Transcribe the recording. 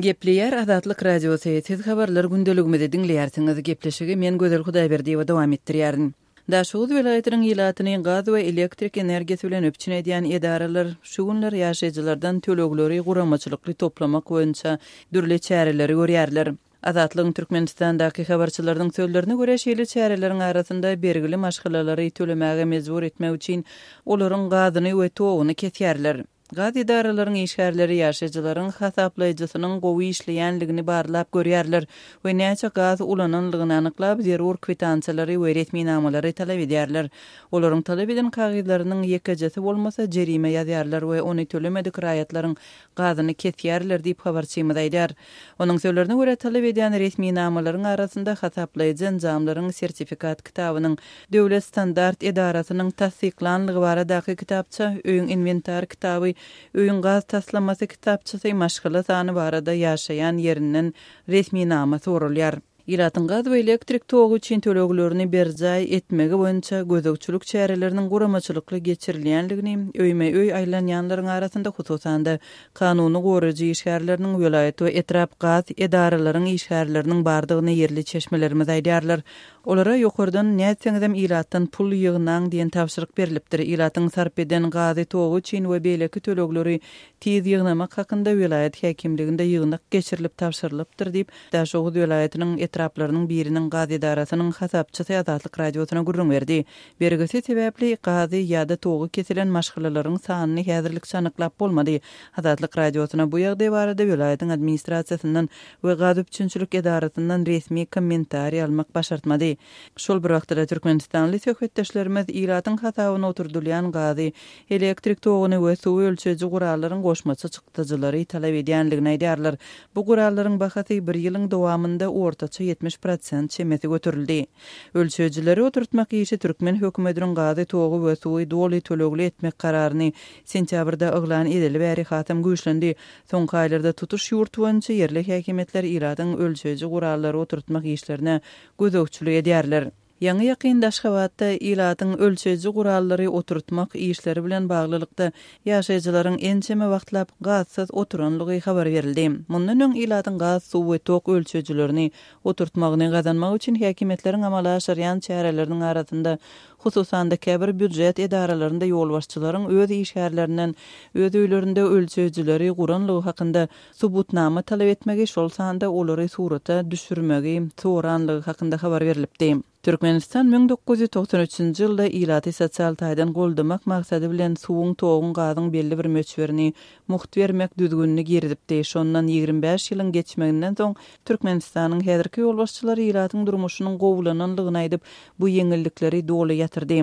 Gepleýär Azatlyk Radiosy, Siz habarlar gündeligimizi diňleýärsiňiz. Gepleşigi men Gözel Hudaýberdiýewa dowam etdirýärin. Daşoguz welaýatynyň ilatyny gaz we elektrik energiýasy bilen üpjün edýän edaralar şu günler ýaşaýjylardan tölegleri guramaçylykly toplamak boýunça dürli çäreleri görýärler. Azatlygyň Türkmenistandaky habarçylarynyň sözlerine görä, şeýle çäreleriň arasynda bergili maşgalalary tölemäge mejbur etmek üçin olaryň gazyny we toguny kesýärler. Gaz edaralaryň işgärleri ýaşaýjylaryň hasaplaýjysynyň gowy işleýänligini barlap görýärler we näçe gaz ulananlygyny anyklap, zerur kwitansiýalary we resminamalary talap edýärler. Olaryň talap eden kagyzlarynyň ýekejesi bolmasa, jerime ýazýarlar we ony tölemedik raýatlaryň gazyny kesýärler diýip, habarçymyz aýdýar. Onuň sözlerine görä, talap edýän resminamalaryň arasynda hasaplaýjy enjamlaryň sertifikat kitabynyň, Döwlet standart edarasynyň tassyklanlygy baradaky kitapça, öýüň inwentar kitaby, öýüň gaz taslamasy kitapçasy, maşgala sany barada ýaşaýan ýerinden resminama soralýar. Ilatyň gaz we elektrik togy üçin töleglerini berjaý etmegi boýunça gözegçilik çäreleriniň guramaçylykly geçirilýänligini öýme-öý aýlanýanlaryň arasynda, hususan-da, kanuny goraýjy işgärleriniň, welaýat we etrap gaz edaralaryň işgärleriniň bardygyny ýerli çeşmelerimiz aýdýarlar. Olara ýokardan nätseňizem ilatdan pul ýygnaň diýen tabşyryk berlipdir. Ilatyň sarp eden gazy, togy üçin we beýleki tölegleri tiz ýygnamak hakynda welaýat häkimliginde ýygnak geçirilip tabşyrylypdyr diýip, Daşoguz welaýatynyň etraplarynyň biriniň gaz edarasynyň hasapçysy Azatlyk Radiosyna gürrüň berdi. Bergisi sebäpli gazy ýa-da togy kesilen maşgalalaryň sanyny häzirlikçe anyklap bolmady. Azatlyk Radiosyna bu ýagdaý barada welaýatyň administrasiýasyndan we gaz üpjünçilik edarasyndan resmi kommentariý almak başartmady. Şol bir wagtda-da türkmenistanly söhbetdeşlerimiz ilatyň hasabyna oturdylýan gazy, elektrik toguny we suwy ölçeýji gurallaryň goşmaça çykdajylary talap edýändigini aýdýarlar. Bu gurallaryň bahasy bir ýylyň dowamynda ortaça 70 prosent çemesi göterildi. Ölçeýjileri oturtmak işi türkmen hökümetiniň gazy, togy we suwy doly tölegli etmek kararyny sentýabrda yglan edeli bäri hasam güýçlendi. Soňky aýlarda tutuş ýurt boýunça ýerli häkimiýetler ilatyň ölçeýji gurallary oturtmak işlerine gözegçilik edýärler. Ýaňy-ýakynda Aşgabatda ilatyň ölçeýji gurallary oturtmak işleri bilen baglylykda ýaşaýjylaryň ençeme wagtlap gazsyz oturanlygy habar berildi. Mundan öň ilatyň gaz, suw we tok ölçeýjilerini oturtmagyny gazanmak üçin häkimiýetleriň amala aşyrýan çäreleriniň arasynda Hususan-da, käbir býujet edaralarynda ýolbaşçylaryň öz işgärlerinden öz öýlerinde ölçeýjileri guranlygy hakynda subutnama talap etmegi, şol sanda olary surata düşürmegi soranlygy hakynda habar berlipdi. Türkmenistan 1993-nji ýylda ilaty sosial taýdan goldamak maksady bilen suwuň, toguň, gazyň belli bir möçberini mugt bermek düzgünini girizipdi. Şondan 25 ýylyň geçmeginden soň Türkmenistanyň häzirki ýolbaşçylary ilatyň durmuşynyň gowulananlygyny aýdyp, bu ýeňillikleri doly ýatyrdy.